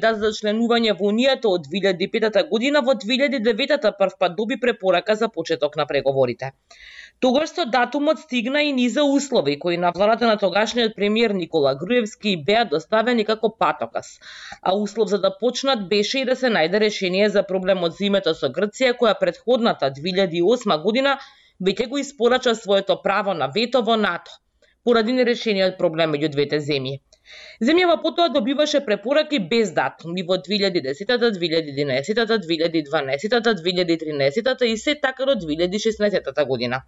за членување во Унијата од 2005 година, во 2009 првпат доби препорака за почеток на преговорите. Тогаш со датумот стигна и низа услови кои на владата на тогашниот премиер Никола Груевски беа доставени како патоказ, а услов за да почнат беше и да се најде решение за проблемот за името со Грција, која претходната 2008 година веќе го испорача своето право на вето во НАТО, поради нерешениот проблем меѓу двете земји. Земјава потоа добиваше препораки без датум и во 2010, 2011, 2012, 2013 и се така до 2016 година.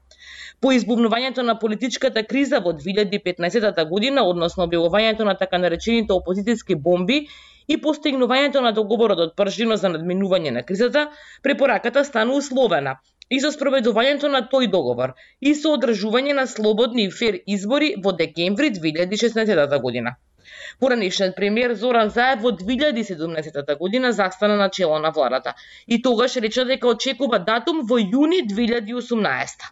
По избувнувањето на политичката криза во 2015 година, односно објавувањето на така наречените опозицијски бомби и постигнувањето на договорот од Пржино за надминување на кризата, препораката стана условена и со спроведувањето на тој договор и со одржување на слободни и фер избори во декември 2016 година. Поранешниот премиер Зоран Заев во 2017 година застана на чело на владата и тогаш рече дека очекува датум во јуни 2018.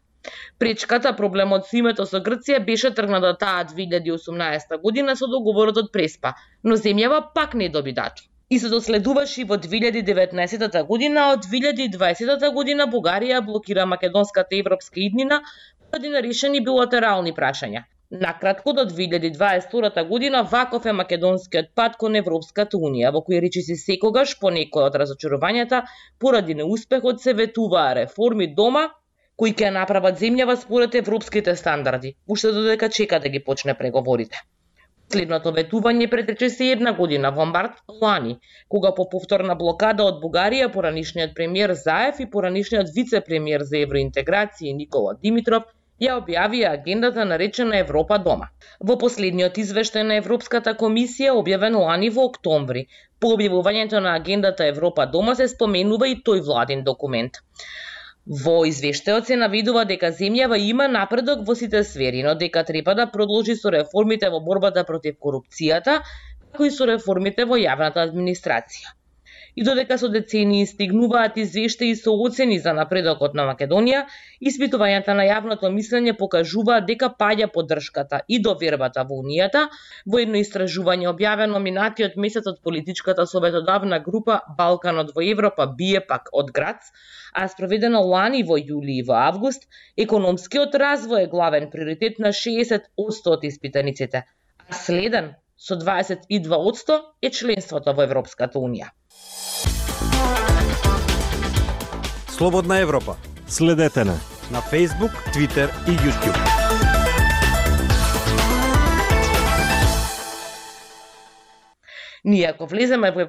Пречката, проблемот со името со Грција беше тргната таа 2018 година со договорот од Преспа, но земјава пак не доби датум. И се доследуваше во 2019 година, а од 2020 година Бугарија блокира македонската европска иднина поради нерешени билатерални прашања. Накратко, до 2022 година ваков е македонскиот пат кон Европската Унија, во кој речиси секогаш по некој од разочарувањата поради неуспехот се ветуваа реформи дома, кои ќе направат земјава според европските стандарди, уште додека чека да ги почне преговорите. Следното ветување претрече се една година во март лани, кога по повторна блокада од Бугарија поранишниот премиер Заев и поранишниот вице-премиер за евроинтеграција Никола Димитров ја објавија агендата наречена Европа дома. Во последниот извештај на Европската комисија, објавен лани во октомври, по објавувањето на агендата Европа дома се споменува и тој владин документ. Во извештајот се наведува дека земјава има напредок во сите сфери, но дека треба да продолжи со реформите во борбата против корупцијата, како и со реформите во јавната администрација. И додека со децении стигнуваат извештаи со оцени за напредокот на Македонија, испитувањата на јавното мислење покажуваат дека паѓа поддршката и довербата во Унијата. Во едно истражување објавено минатиот месец од политичката советодавна група Балканот во Европа бие пак од Грац, а спроведено лани во јули и во август, економскиот развој е главен приоритет на 60% од испитаниците, а следен со 22% е членството во Европската Унија. Слободна Европа. Следете на Facebook, Twitter и YouTube. Ние ако влеземе во Европа